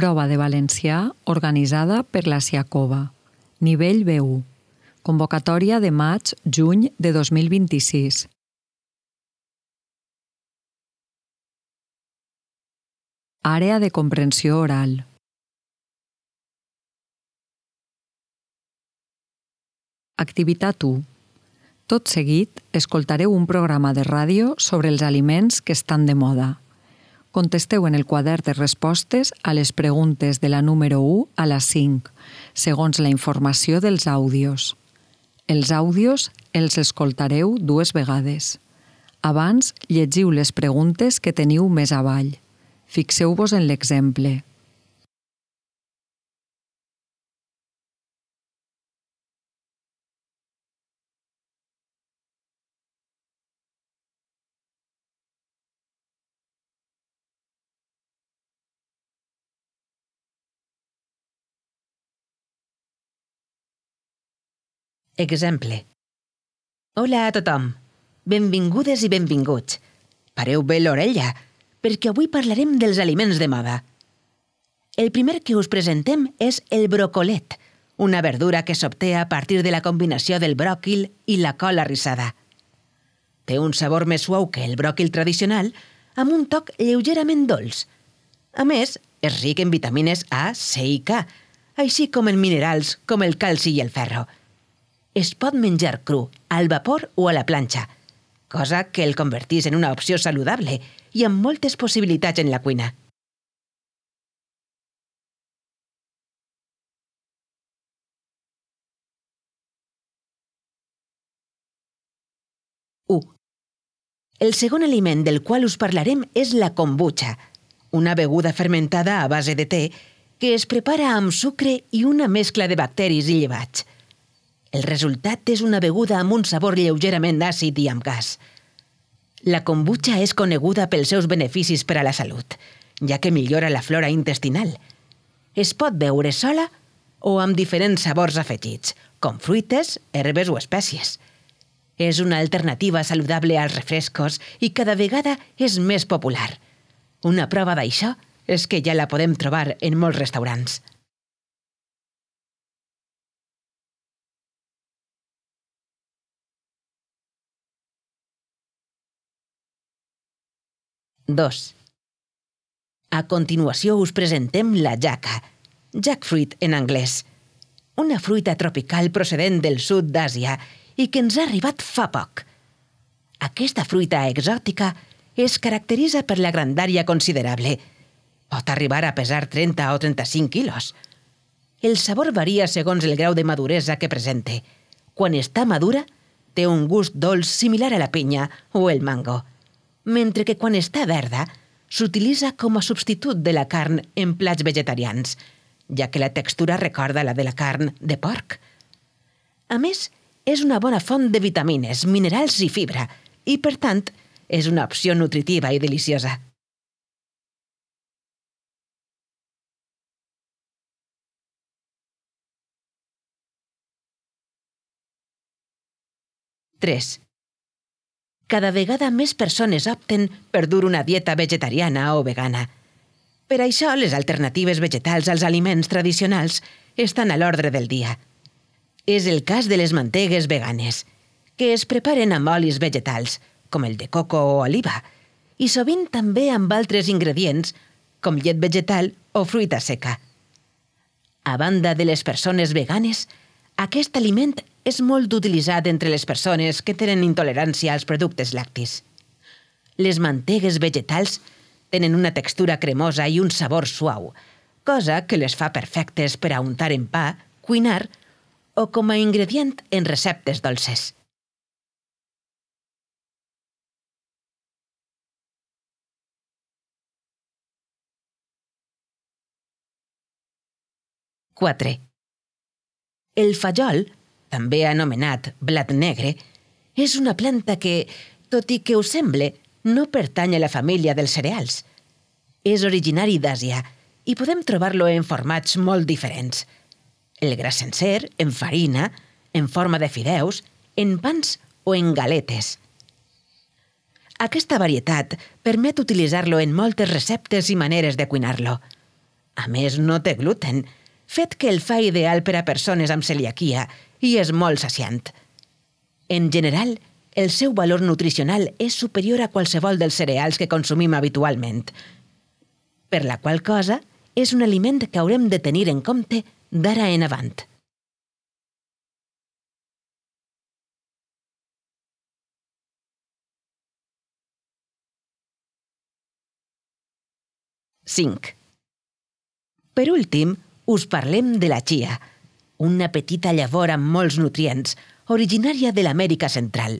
Prova de valencià organitzada per la Siacova. Nivell B1. Convocatòria de maig-juny de 2026. Àrea de comprensió oral. Activitat 1. Tot seguit, escoltareu un programa de ràdio sobre els aliments que estan de moda. Contesteu en el quadern de respostes a les preguntes de la número 1 a la 5, segons la informació dels àudios. Els àudios els escoltareu 2 vegades. Abans, llegiu les preguntes que teniu més avall. Fixeu-vos en l'exemple. Exemple. Hola a tothom. Benvingudes i benvinguts. Pareu bé l'orella, perquè avui parlarem dels aliments de moda. El primer que us presentem és el brocolet, una verdura que s'obté a partir de la combinació del bròquil i la col arrissada. Té un sabor més suau que el bròquil tradicional, amb un toc lleugerament dolç. A més, és ric en vitamines A, C i K, així com en minerals com el calci i el ferro. Es pot menjar cru, al vapor o a la planxa, cosa que el convertís en una opció saludable i amb moltes possibilitats en la cuina. El segon aliment del qual us parlarem és la kombucha, una beguda fermentada a base de te que es prepara amb sucre i una mescla de bacteris i llevats. El resultat és una beguda amb un sabor lleugerament àcid i amb gas. La kombucha és coneguda pels seus beneficis per a la salut, ja que millora la flora intestinal. Es pot beure sola o amb diferents sabors afegits, com fruites, herbes o espècies. És una alternativa saludable als refrescos i cada vegada és més popular. Una prova d'això és que ja la podem trobar en molts restaurants. Dos. A continuació us presentem la jaca, jackfruit en anglès, una fruita tropical procedent del sud d'Àsia i que ens ha arribat fa poc. Aquesta fruita exòtica es caracteritza per la grandària considerable. Pot arribar a pesar 30 o 35 quilos. El sabor varia segons el grau de maduresa que presente. Quan està madura, té un gust dolç similar a la pinya o el mango, mentre que quan està verda, s'utilitza com a substitut de la carn en plats vegetarians, ja que la textura recorda la de la carn de porc. A més, és una bona font de vitamines, minerals i fibra, i, per tant, és una opció nutritiva i deliciosa. Tres. Cada vegada més persones opten per dur una dieta vegetariana o vegana. Per això, les alternatives vegetals als aliments tradicionals estan a l'ordre del dia. És el cas de les mantegues veganes, que es preparen amb olis vegetals, com el de coco o oliva, i sovint també amb altres ingredients, com llet vegetal o fruita seca. A banda de les persones veganes, aquest aliment és molt utilitzat entre les persones que tenen intolerància als productes lactis. Les mantegues vegetals tenen una textura cremosa i un sabor suau, cosa que les fa perfectes per a untar en pa, cuinar o com a ingredient en receptes dolces. Quatre. El fajol, també anomenat blat negre, és una planta que, tot i que us semble, no pertany a la família dels cereals. És originari d'Àsia i podem trobar-lo en formats molt diferents. El gra sencer, en farina, en forma de fideus, en pans o en galetes. Aquesta varietat permet utilitzar-lo en moltes receptes i maneres de cuinar-lo. A més, no té gluten, fet que el fa ideal per a persones amb celiaquia i és molt saciant. En general, el seu valor nutricional és superior a qualsevol dels cereals que consumim habitualment, per la qual cosa és un aliment que haurem de tenir en compte d'ara en avant. Cinc. Per últim, us parlem de la chia, una petita llavor amb molts nutrients, originària de l'Amèrica Central.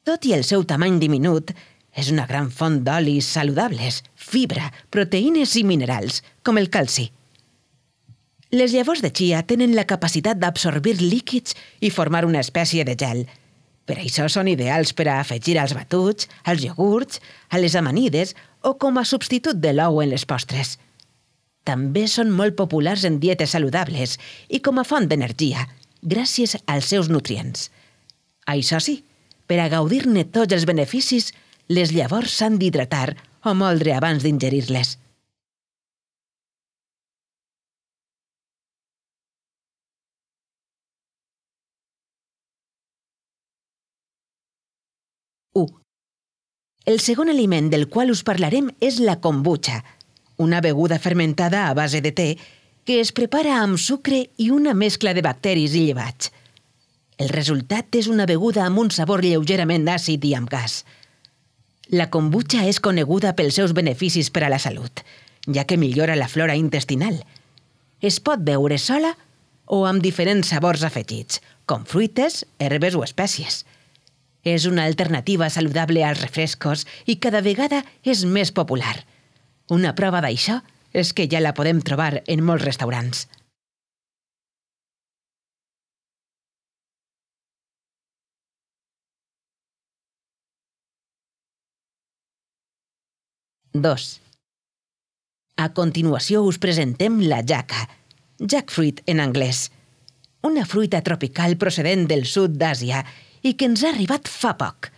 Tot i el seu tamany diminut, és una gran font d'olis saludables, fibra, proteïnes i minerals, com el calci. Les llavors de chia tenen la capacitat d'absorbir líquids i formar una espècie de gel. Per això són ideals per a afegir als batuts, als iogurts, a les amanides o com a substitut de l'ou en les postres. També són molt populars en dietes saludables i com a font d'energia, gràcies als seus nutrients. Això sí, per a gaudir-ne tots els beneficis, les llavors s'han d'hidratar o moldre abans d'ingerir-les. El segon aliment del qual us parlarem és la kombucha, una beguda fermentada a base de te que es prepara amb sucre i una mescla de bacteris i llevats. El resultat és una beguda amb un sabor lleugerament àcid i amb gas. La kombucha és coneguda pels seus beneficis per a la salut, ja que millora la flora intestinal. Es pot beure sola o amb diferents sabors afegits, com fruites, herbes o espècies. És una alternativa saludable als refrescos i cada vegada és més popular. Una prova d'això és que ja la podem trobar en molts restaurants. Dos. A continuació us presentem la jaca, jackfruit en anglès, una fruita tropical procedent del sud d'Àsia i que ens ha arribat fa poc.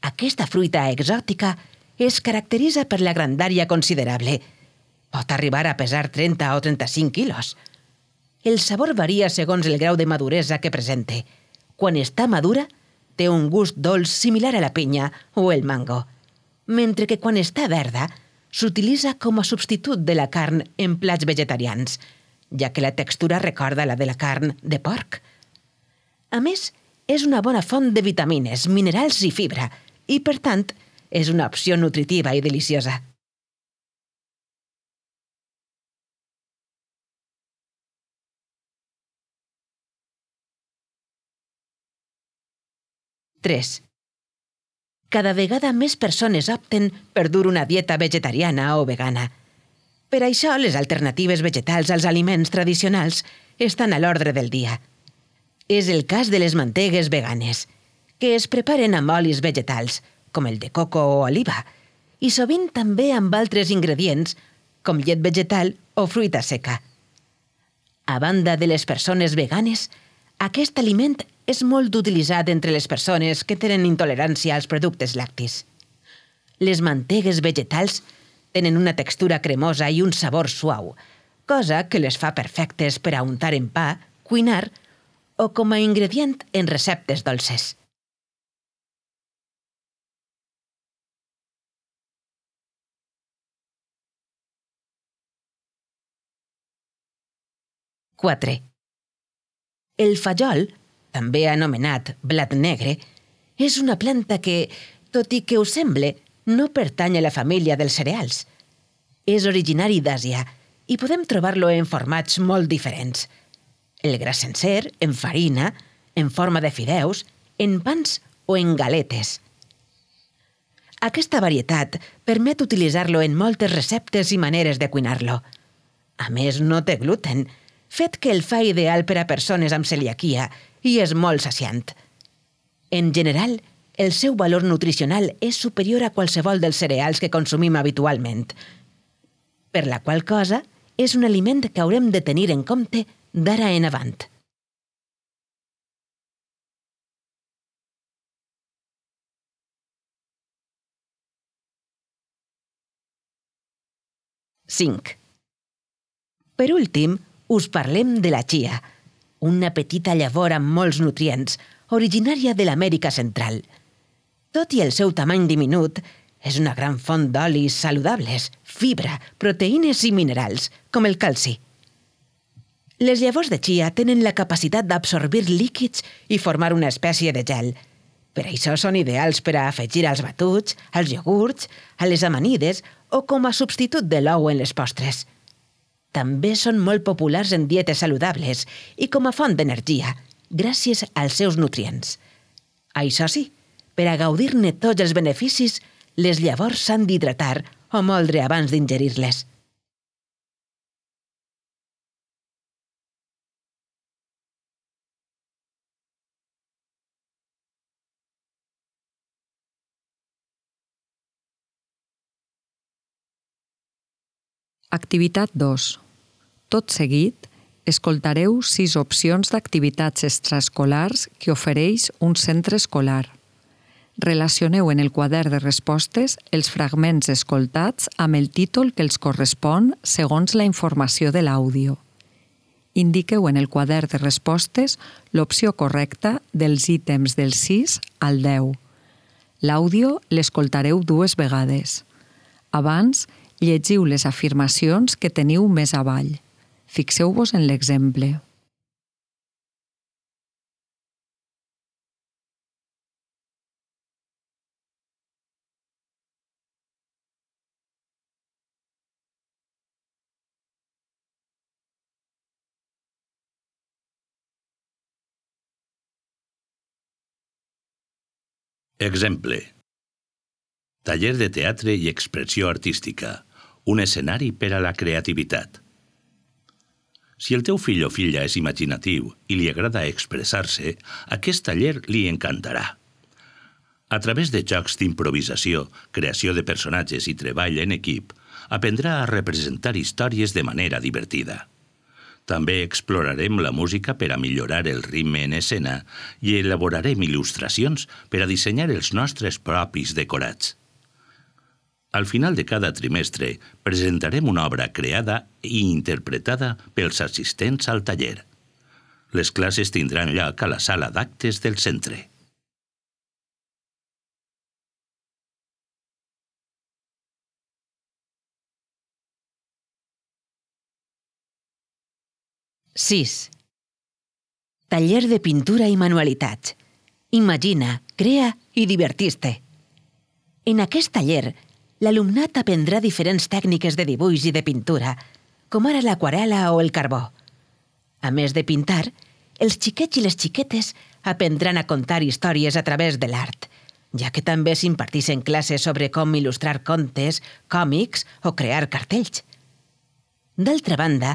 Aquesta fruita exòtica es caracteritza per la grandària considerable. Pot arribar a pesar 30 o 35 quilos. El sabor varia segons el grau de maduresa que presente. Quan està madura, té un gust dolç similar a la pinya o el mango, mentre que quan està verda, s'utilitza com a substitut de la carn en plats vegetarians, ja que la textura recorda la de la carn de porc. A més, és una bona font de vitamines, minerals i fibra, i, per tant, és una opció nutritiva i deliciosa. Tres. Cada vegada més persones opten per dur una dieta vegetariana o vegana. Per això, les alternatives vegetals als aliments tradicionals estan a l'ordre del dia. És el cas de les mantegues veganes, que es preparen amb olis vegetals, com el de coco o oliva, i sovint també amb altres ingredients, com llet vegetal o fruita seca. A banda de les persones veganes, aquest aliment és molt utilitzat entre les persones que tenen intolerància als productes lactis. Les mantegues vegetals tenen una textura cremosa i un sabor suau, cosa que les fa perfectes per a untar en pa, cuinar o com a ingredient en receptes dolces. Quatre. El fajol, també anomenat blat negre, és una planta que, tot i que us semble, no pertany a la família dels cereals. És originari d'Àsia i podem trobar-lo en formats molt diferents. El gra sencer, en farina, en forma de fideus, en pans o en galetes. Aquesta varietat permet utilitzar-lo en moltes receptes i maneres de cuinar-lo. A més, no té gluten, fet que el fa ideal per a persones amb celiaquia i és molt saciant. En general, el seu valor nutricional és superior a qualsevol dels cereals que consumim habitualment, per la qual cosa és un aliment que haurem de tenir en compte d'ara en avant. Cinc. Per últim, us parlem de la chia, una petita llavor amb molts nutrients, originària de l'Amèrica Central. Tot i el seu tamany diminut, és una gran font d'olis saludables, fibra, proteïnes i minerals, com el calci. Les llavors de chia tenen la capacitat d'absorbir líquids i formar una espècie de gel. Per això són ideals per a afegir als batuts, als iogurts, a les amanides o com a substitut de l'ou en les postres. També són molt populars en dietes saludables i com a font d'energia, gràcies als seus nutrients. Això sí, per a gaudir-ne tots els beneficis, les llavors s'han d'hidratar o moldre abans d'ingerir-les. Activitat 2. Tot seguit, escoltareu 6 opcions d'activitats extraescolars que ofereix un centre escolar. Relacioneu en el quadern de respostes els fragments escoltats amb el títol que els correspon segons la informació de l'àudio. Indiqueu en el quadern de respostes l'opció correcta dels ítems del 6 al 10. L'àudio l'escoltareu 2 vegades. Abans, llegiu les afirmacions que teniu més avall. Fixeu-vos en l'exemple. Exemple. Taller de teatre i expressió artística. Un escenari per a la creativitat. Si el teu fill o filla és imaginatiu i li agrada expressar-se, aquest taller li encantarà. A través de jocs d'improvisació, creació de personatges i treball en equip, aprendrà a representar històries de manera divertida. També explorarem la música per a millorar el ritme en escena i elaborarem il·lustracions per a dissenyar els nostres propis decorats. Al final de cada trimestre presentarem una obra creada i interpretada pels assistents al taller. Les classes tindran lloc a la sala d'actes del centre. sis. Taller de pintura i manualitats. Imagina, crea i divertís-te. En aquest taller, l'alumnat aprendrà diferents tècniques de dibuix i de pintura, com ara l'aquarel·la o el carbó. A més de pintar, els xiquets i les xiquetes aprendran a contar històries a través de l'art, ja que també s'imparteixen classes sobre com il·lustrar contes, còmics o crear cartells. D'altra banda,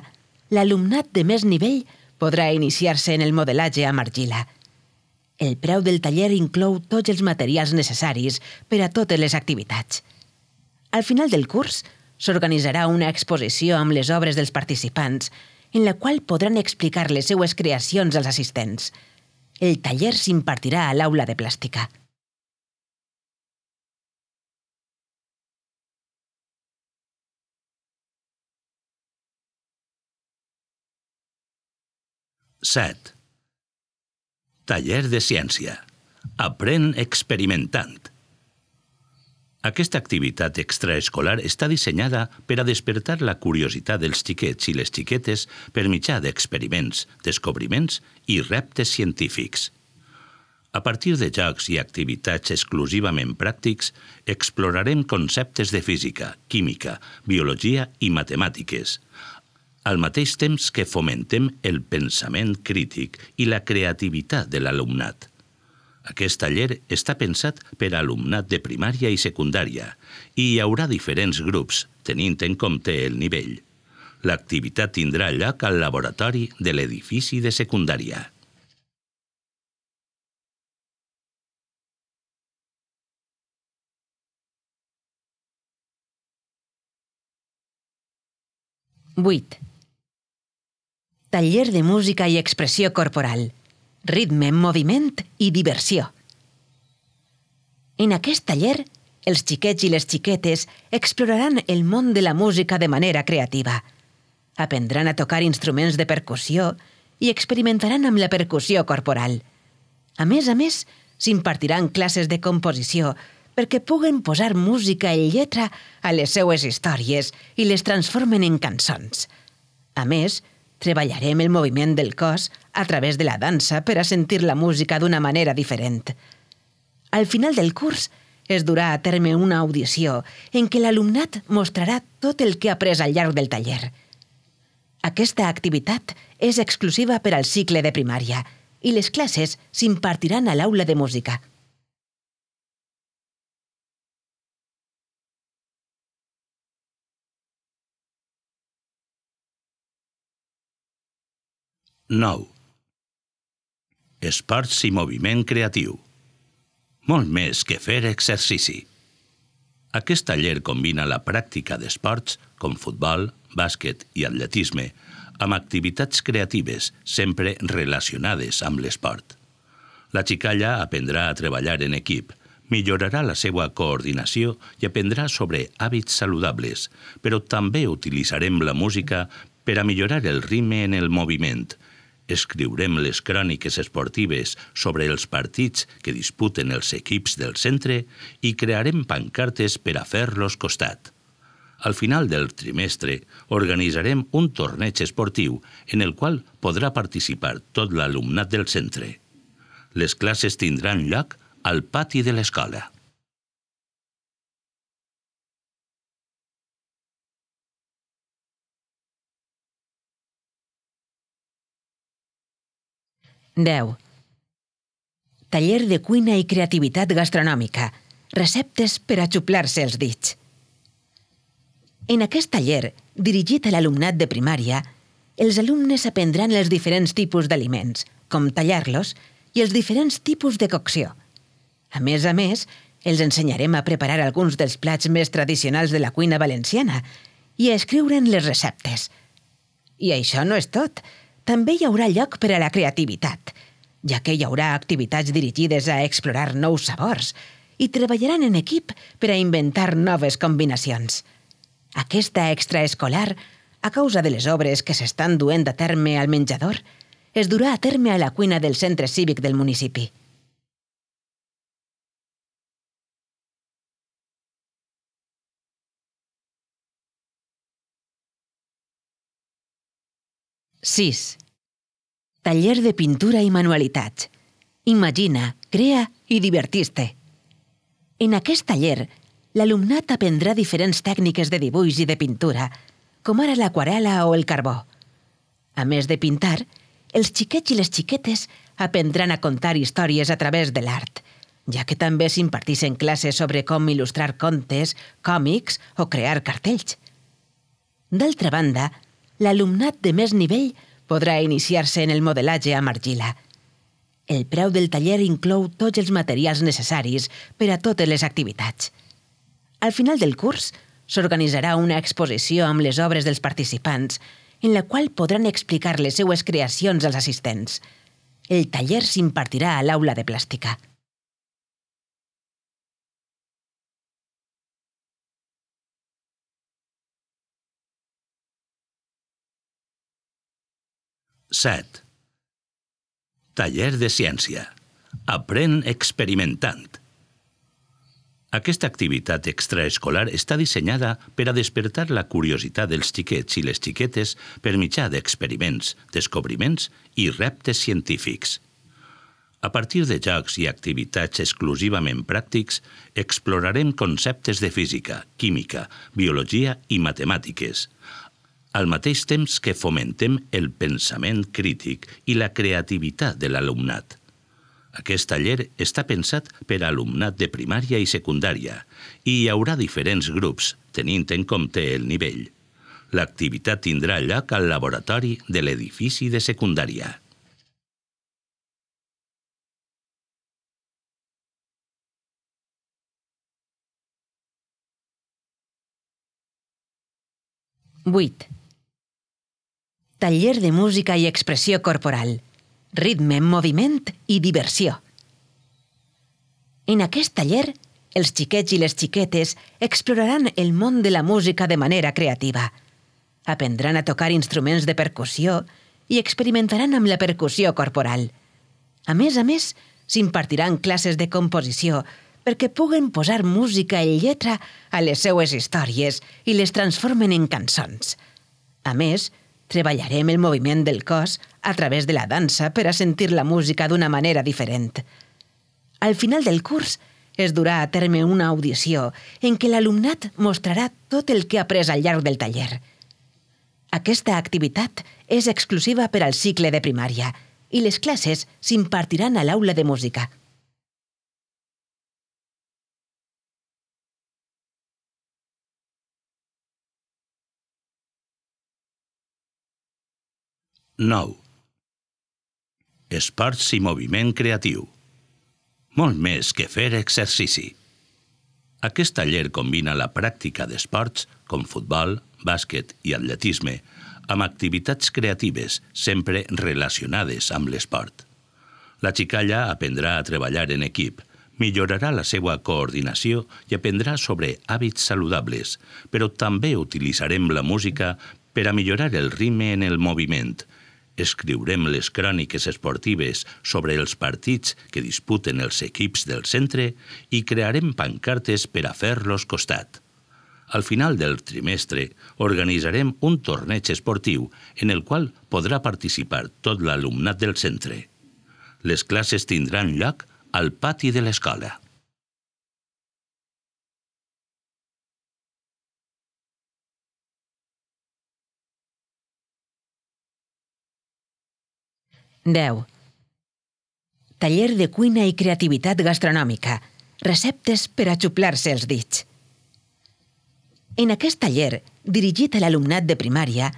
l'alumnat de més nivell podrà iniciar-se en el modelatge amb argila. El preu del taller inclou tots els materials necessaris per a totes les activitats. Al final del curs, s'organitzarà una exposició amb les obres dels participants, en la qual podran explicar les seues creacions als assistents. El taller s'impartirà a l'aula de plàstica. Set. Taller de ciència. Aprèn experimentant. Aquesta activitat extraescolar està dissenyada per a despertar la curiositat dels xiquets i les xiquetes per mitjà d'experiments, descobriments i reptes científics. A partir de jocs i activitats exclusivament pràctics, explorarem conceptes de física, química, biologia i matemàtiques, al mateix temps que fomentem el pensament crític i la creativitat de l'alumnat. Aquest taller està pensat per a alumnat de primària i secundària i hi haurà diferents grups, tenint en compte el nivell. L'activitat tindrà lloc al laboratori de l'edifici de secundària. Vuit. Taller de música i expressió corporal. Ritme, moviment i diversió. En aquest taller, els xiquets i les xiquetes exploraran el món de la música de manera creativa. Aprendran a tocar instruments de percussió i experimentaran amb la percussió corporal. A més, s'impartiran classes de composició perquè puguen posar música i lletra a les seues històries i les transformen en cançons. A més, treballarem el moviment del cos a través de la dansa per a sentir la música d'una manera diferent. Al final del curs, es durà a terme una audició en què l'alumnat mostrarà tot el que ha après al llarg del taller. Aquesta activitat és exclusiva per al cicle de primària i les classes s'impartiran a l'aula de música. Nou. Esports i moviment creatiu. Molt més que fer exercici. Aquest taller combina la pràctica d'esports, com futbol, bàsquet i atletisme, amb activitats creatives sempre relacionades amb l'esport. La xicalla aprendrà a treballar en equip, millorarà la seva coordinació i aprendrà sobre hàbits saludables, però també utilitzarem la música per a millorar el ritme en el moviment. Escriurem les cròniques esportives sobre els partits que disputen els equips del centre i crearem pancartes per a fer-los costat. Al final del trimestre organitzarem un torneig esportiu en el qual podrà participar tot l'alumnat del centre. Les classes tindran lloc al pati de l'escola. Deu. Taller de cuina i creativitat gastronòmica. Receptes per a xuplar-se els dits. En aquest taller, dirigit a l'alumnat de primària, els alumnes aprendran els diferents tipus d'aliments, com tallar-los, i els diferents tipus de cocció. A més, els ensenyarem a preparar alguns dels plats més tradicionals de la cuina valenciana i a escriure'n les receptes. I això no és tot. També hi haurà lloc per a la creativitat, ja que hi haurà activitats dirigides a explorar nous sabors i treballaran en equip per a inventar noves combinacions. Aquesta extraescolar, a causa de les obres que s'estan duent a terme al menjador, es durà a terme a la cuina del centre cívic del municipi. Sis. Taller de pintura i manualitats. Imagina, crea i divertís-te. En aquest taller, l'alumnat aprendrà diferents tècniques de dibuix i de pintura, com ara l'aquarel·la o el carbó. A més de pintar, els xiquets i les xiquetes aprendran a contar històries a través de l'art, ja que també s'impartixen classes sobre com il·lustrar contes, còmics o crear cartells. D'altra banda, l'alumnat de més nivell podrà iniciar-se en el modelatge amb argila. El preu del taller inclou tots els materials necessaris per a totes les activitats. Al final del curs, s'organitzarà una exposició amb les obres dels participants, en la qual podran explicar les seues creacions als assistents. El taller s'impartirà a l'aula de plàstica. Set. Taller de ciència. Aprèn experimentant. Aquesta activitat extraescolar està dissenyada per a despertar la curiositat dels xiquets i les xiquetes per mitjà d'experiments, descobriments i reptes científics. A partir de jocs i activitats exclusivament pràctics, explorarem conceptes de física, química, biologia i matemàtiques, al mateix temps que fomentem el pensament crític i la creativitat de l'alumnat. Aquest taller està pensat per a alumnat de primària i secundària i hi haurà diferents grups, tenint en compte el nivell. L'activitat tindrà lloc al laboratori de l'edifici de secundària. Vuit. Taller de música i expressió corporal. Ritme, moviment i diversió. En aquest taller, els xiquets i les xiquetes exploraran el món de la música de manera creativa. Aprendran a tocar instruments de percussió i experimentaran amb la percussió corporal. A més, s'impartiran classes de composició perquè puguen posar música i lletra a les seues històries i les transformen en cançons. A més, treballarem el moviment del cos a través de la dansa per a sentir la música d'una manera diferent. Al final del curs es durà a terme una audició en què l'alumnat mostrarà tot el que ha après al llarg del taller. Aquesta activitat és exclusiva per al cicle de primària i les classes s'impartiran a l'aula de música. Nou. Esports i moviment creatiu. Molt més que fer exercici. Aquest taller combina la pràctica d'esports, com futbol, bàsquet i atletisme, amb activitats creatives sempre relacionades amb l'esport. La xicalla aprendrà a treballar en equip, millorarà la seva coordinació i aprendrà sobre hàbits saludables, però també utilitzarem la música per a millorar el ritme en el moviment. Escriurem les cròniques esportives sobre els partits que disputen els equips del centre i crearem pancartes per a fer-los costat. Al final del trimestre organitzarem un torneig esportiu en el qual podrà participar tot l'alumnat del centre. Les classes tindran lloc al pati de l'escola. Deu. Taller de cuina i creativitat gastronòmica. Receptes per a xuplar-se els dits. En aquest taller, dirigit a l'alumnat de primària,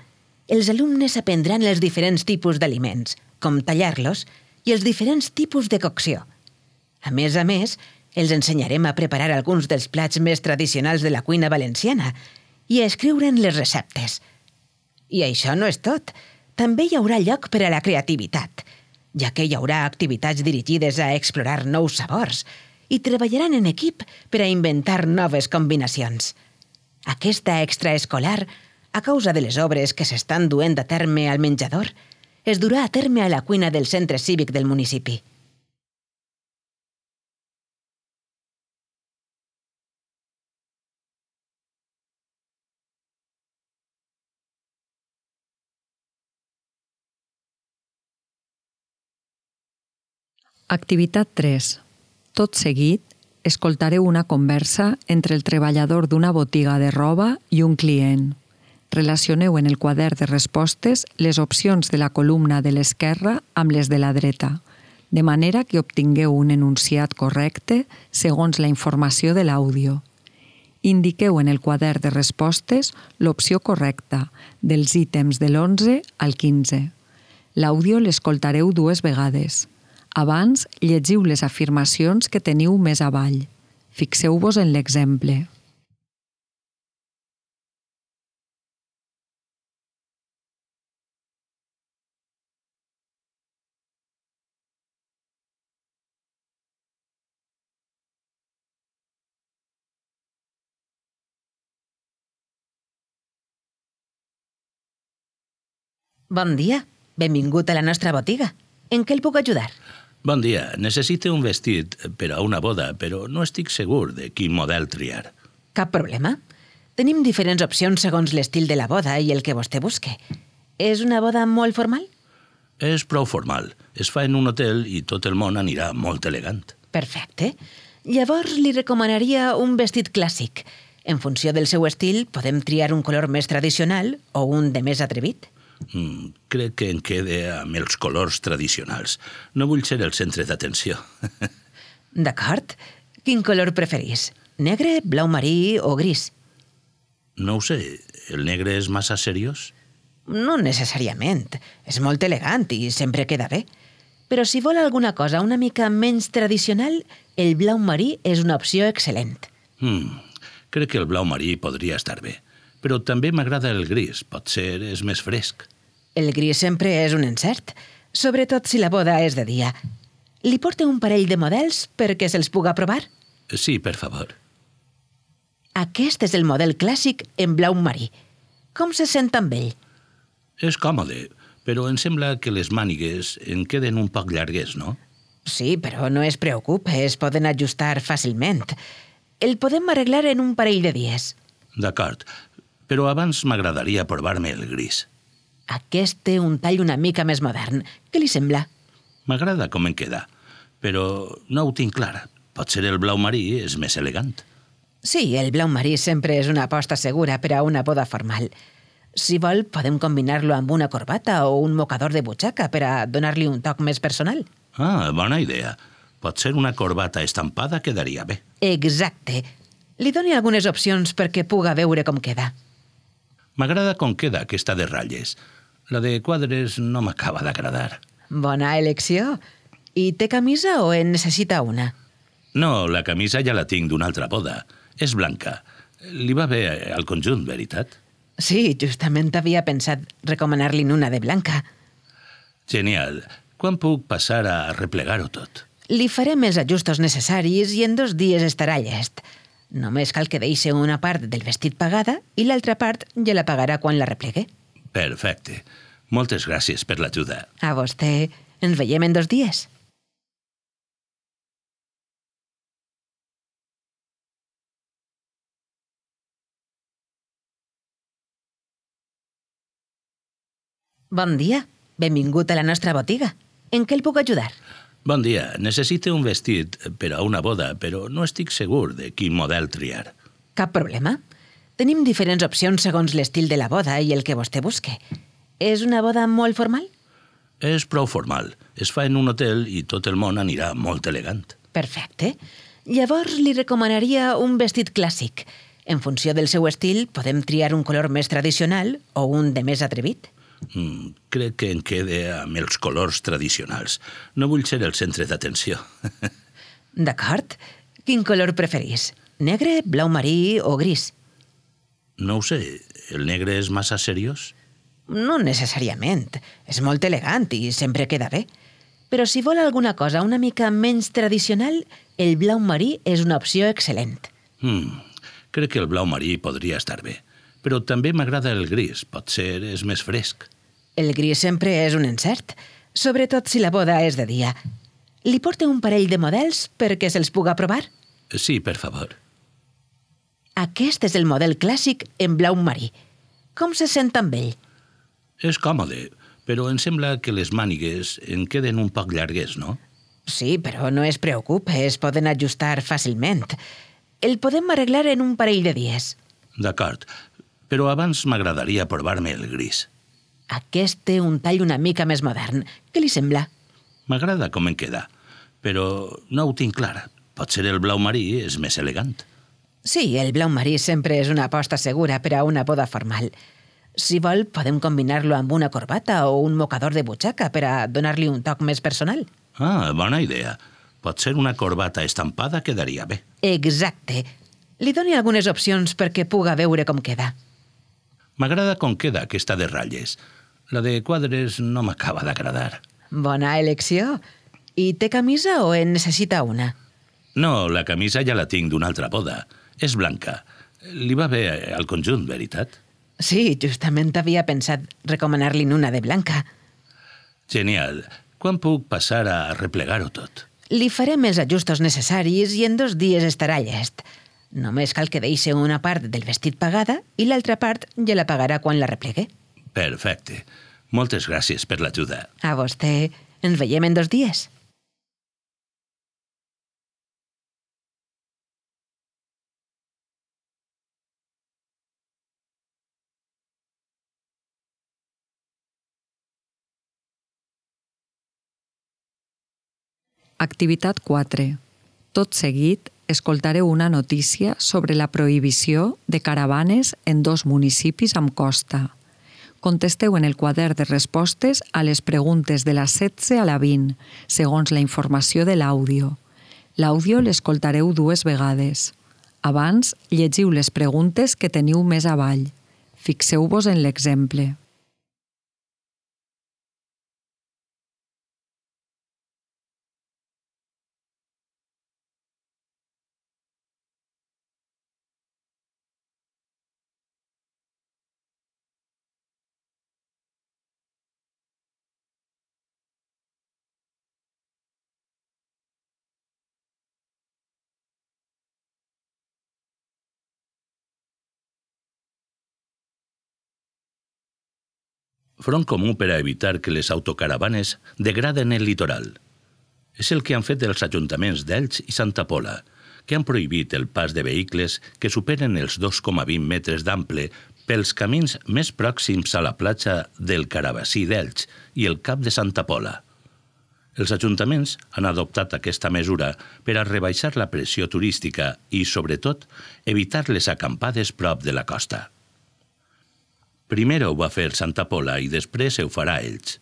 els alumnes aprendran els diferents tipus d'aliments, com tallar-los, i els diferents tipus de cocció. A més, els ensenyarem a preparar alguns dels plats més tradicionals de la cuina valenciana i a escriure'n les receptes. I això no és tot. També hi haurà lloc per a la creativitat, ja que hi haurà activitats dirigides a explorar nous sabors i treballaran en equip per a inventar noves combinacions. Aquesta extraescolar, a causa de les obres que s'estan duent a terme al menjador, es durà a terme a la cuina del centre cívic del municipi. Activitat 3. Tot seguit, escoltareu una conversa entre el treballador d'una botiga de roba i un client. Relacioneu en el quadern de respostes les opcions de la columna de l'esquerra amb les de la dreta, de manera que obtingueu un enunciat correcte segons la informació de l'àudio. Indiqueu en el quadern de respostes l'opció correcta dels ítems de l'11 al 15. L'àudio l'escoltareu 2 vegades. Abans, llegiu les afirmacions que teniu més avall. Fixeu-vos en l'exemple. Bon dia. Benvingut a la nostra botiga. En què el puc ajudar? Bon dia. Necessito un vestit per a una boda, però no estic segur de quin model triar. Cap problema. Tenim diferents opcions segons l'estil de la boda i el que vostè busque. És una boda molt formal? És prou formal. Es fa en un hotel i tot el món anirà molt elegant. Perfecte. Llavors li recomanaria un vestit clàssic. En funció del seu estil, podem triar un color més tradicional o un de més atrevit. Crec que em quede amb els colors tradicionals. No vull ser el centre d'atenció. D'acord. Quin color preferís? Negre, blau marí o gris? No ho sé. El negre és massa seriós? No necessàriament. És molt elegant i sempre queda bé. Però si vol alguna cosa una mica menys tradicional, el blau marí és una opció excel·lent. Crec que el blau marí podria estar bé. Però també m'agrada el gris. Potser és més fresc. El gris sempre és un encert, sobretot si la boda és de dia. Li porto un parell de models perquè se'ls puga provar? Sí, per favor. Aquest és el model clàssic en blau marí. Com se sent amb ell? És còmode, però em sembla que les mànigues en queden un poc llargues, no? Sí, però no es preocupe, es poden ajustar fàcilment. El podem arreglar en un parell de dies. D'acord, però abans m'agradaria provar-me el gris. Aquest té un tall una mica més modern. Què li sembla? M'agrada com en queda, però no ho tinc clar. Potser el blau marí és més elegant. Sí, el blau marí sempre és una aposta segura per a una boda formal. Si vol, podem combinar-lo amb una corbata o un mocador de butxaca per a donar-li un toc més personal. Ah, bona idea. Potser una corbata estampada quedaria bé. Exacte. Li doni algunes opcions perquè puga veure com queda. M'agrada com queda aquesta de ratlles. La de quadres no m'acaba d'agradar. Bona elecció. I té camisa o en necessita una? No, la camisa ja la tinc d'una altra boda. És blanca. Li va bé al conjunt, veritat? Sí, justament havia pensat recomanar-li'n una de blanca. Genial. Quan puc passar a replegar-ho tot? Li farem els ajustos necessaris i en 2 dies estarà llest. Només cal que deixi una part del vestit pagada i l'altra part ja la pagarà quan la replegue. Perfecte. Moltes gràcies per l'ajuda. A vostè. Ens veiem en 2 dies. Bon dia. Benvingut a la nostra botiga. En què el puc ajudar? Bon dia. Necessito un vestit per a una boda, però no estic segur de quin model triar. Cap problema. Tenim diferents opcions segons l'estil de la boda i el que vostè busque. És una boda molt formal? És prou formal. Es fa en un hotel i tot el món anirà molt elegant. Perfecte. Llavors li recomanaria un vestit clàssic. En funció del seu estil, podem triar un color més tradicional o un de més atrevit. Crec que em quede amb els colors tradicionals. No vull ser el centre d'atenció. D'acord. Quin color preferís? Negre, blau marí o gris? No ho sé. El negre és massa seriós? No necessàriament. És molt elegant i sempre queda bé. Però si vol alguna cosa una mica menys tradicional, el blau marí és una opció excel·lent. Crec que el blau marí podria estar bé. Però també m'agrada el gris. Potser és més fresc. El gris sempre és un encert, sobretot si la boda és de dia. Li porto un parell de models perquè se'ls puga provar? Sí, per favor. Aquest és el model clàssic en blau marí. Com se sent amb ell? És còmode, però em sembla que les mànigues en queden un poc llargues, no? Sí, però no es preocupe, es poden ajustar fàcilment. El podem arreglar en un parell de dies. D'acord, però abans m'agradaria provar-me el gris. Aquest té un tall una mica més modern. Què li sembla? M'agrada com en queda, però no ho tinc clar. Potser el blau marí és més elegant. Sí, el blau marí sempre és una aposta segura per a una boda formal. Si vol, podem combinar-lo amb una corbata o un mocador de butxaca per a donar-li un toc més personal. Ah, bona idea. Potser una corbata estampada quedaria bé. Exacte. Li doni algunes opcions perquè puga veure com queda. M'agrada com queda aquesta de ratlles. La de quadres no m'acaba d'agradar. Bona elecció. I té camisa o en necessita una? No, la camisa ja la tinc d'una altra boda. És blanca. Li va bé al conjunt, veritat? Sí, justament havia pensat recomanar-li'n una de blanca. Genial. Quan puc passar a replegar-ho tot? Li farem els ajustos necessaris i en 2 dies estarà llest. Només cal que deixi una part del vestit pagada i l'altra part ja la pagarà quan la replegue. Perfecte. Moltes gràcies per l'ajuda. A vostè. Ens veiem en 2 dies. Activitat 4. Tot seguit, escoltareu una notícia sobre la prohibició de caravanes en 2 municipis amb costa. Contesteu en el quadern de respostes a les preguntes de la 16 a la 20, segons la informació de l'àudio. L'àudio l'escoltareu 2 vegades. Abans, llegiu les preguntes que teniu més avall. Fixeu-vos en l'exemple. Front comú per a evitar que les autocaravanes degraden el litoral. És el que han fet els ajuntaments d'Elx i Santa Pola, que han prohibit el pas de vehicles que superen els 2,20 metres d'ample pels camins més pròxims a la platja del Carabassí d'Elx i el Cap de Santa Pola. Els ajuntaments han adoptat aquesta mesura per a rebaixar la pressió turística i, sobretot, evitar les acampades prop de la costa. Primer ho va fer Santa Pola i després ho farà Elx.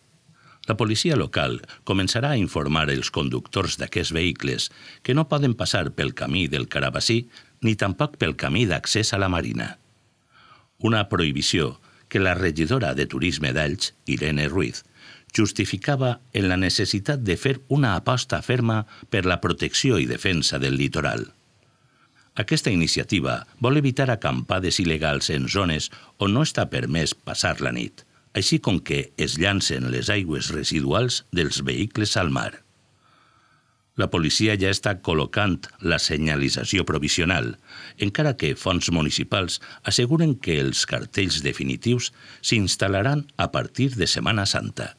La policia local començarà a informar els conductors d'aquests vehicles que no poden passar pel camí del Carabassí ni tampoc pel camí d'accés a la Marina. Una prohibició que la regidora de Turisme d'Elx, Irene Ruiz, justificava en la necessitat de fer una aposta ferma per la protecció i defensa del litoral. Aquesta iniciativa vol evitar acampades il·legals en zones on no està permès passar la nit, així com que es llancen les aigües residuals dels vehicles al mar. La policia ja està col·locant la senyalització provisional, encara que fonts municipals asseguren que els cartells definitius s'instal·laran a partir de Setmana Santa.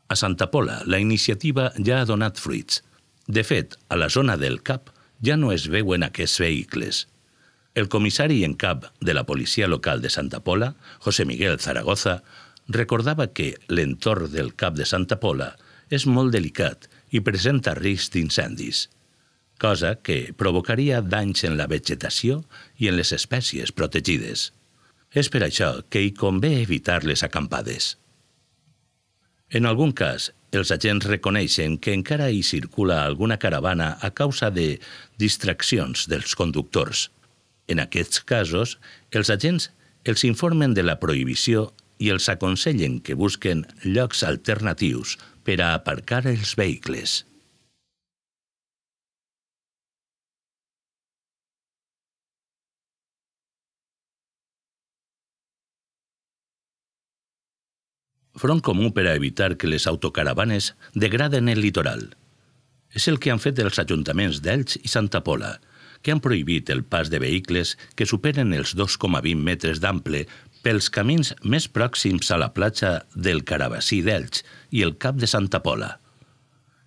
A Santa Pola, la iniciativa ja ha donat fruits. De fet, a la zona del Cap ja no es veuen aquests vehicles. El comissari en cap de la policia local de Santa Pola, José Miguel Zaragoza, recordava que l'entorn del Cap de Santa Pola és molt delicat i presenta risc d'incendis, cosa que provocaria danys en la vegetació i en les espècies protegides. És per això que hi convé evitar les acampades. En algun cas, els agents reconeixen que encara hi circula alguna caravana a causa de distraccions dels conductors. En aquests casos, els agents els informen de la prohibició i els aconsellen que busquen llocs alternatius per a aparcar els vehicles. Front comú per a evitar que les autocaravanes degraden el litoral. És el que han fet els ajuntaments d'Elx i Santa Pola, que han prohibit el pas de vehicles que superen els 2,20 metres d'ample pels camins més pròxims a la platja del Carabassí d'Elx i el Cap de Santa Pola.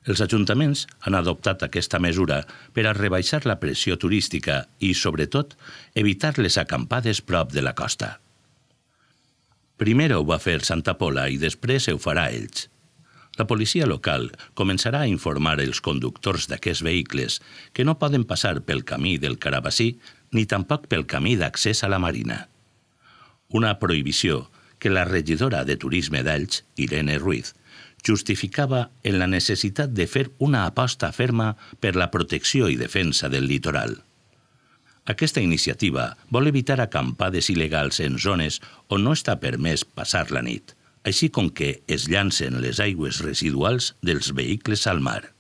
Els ajuntaments han adoptat aquesta mesura per a rebaixar la pressió turística i, sobretot, evitar les acampades prop de la costa. Primer ho va fer Santa Pola i després ho farà Elx. La policia local començarà a informar els conductors d'aquests vehicles que no poden passar pel camí del Carabassí ni tampoc pel camí d'accés a la Marina. Una prohibició que la regidora de Turisme d'Elx, Irene Ruiz, justificava en la necessitat de fer una aposta ferma per la protecció i defensa del litoral. Aquesta iniciativa vol evitar acampades il·legals en zones on no està permès passar la nit, així com que es llancen les aigües residuals dels vehicles al mar.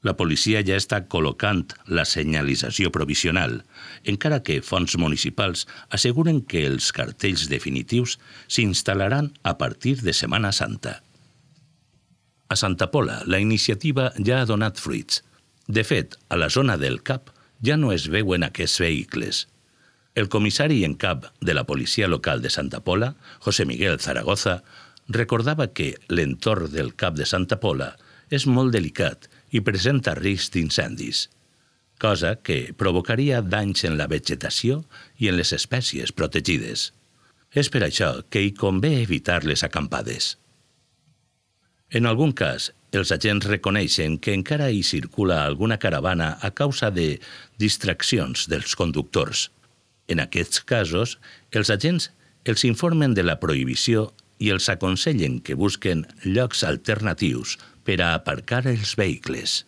La policia ja està col·locant la senyalització provisional, encara que fonts municipals asseguren que els cartells definitius s'instal·laran a partir de Setmana Santa. A Santa Pola, la iniciativa ja ha donat fruits. De fet, a la zona del Cap ja no es veuen aquests vehicles. El comissari en cap de la policia local de Santa Pola, José Miguel Zaragoza, recordava que l'entorn del Cap de Santa Pola és molt delicat i presenta risc d'incendis, cosa que provocaria danys en la vegetació i en les espècies protegides. És per això que hi convé evitar les acampades. En algun cas, els agents reconeixen que encara hi circula alguna caravana a causa de distraccions dels conductors. En aquests casos, els agents els informen de la prohibició i els aconsellen que busquen llocs alternatius per a aparcar els vehicles.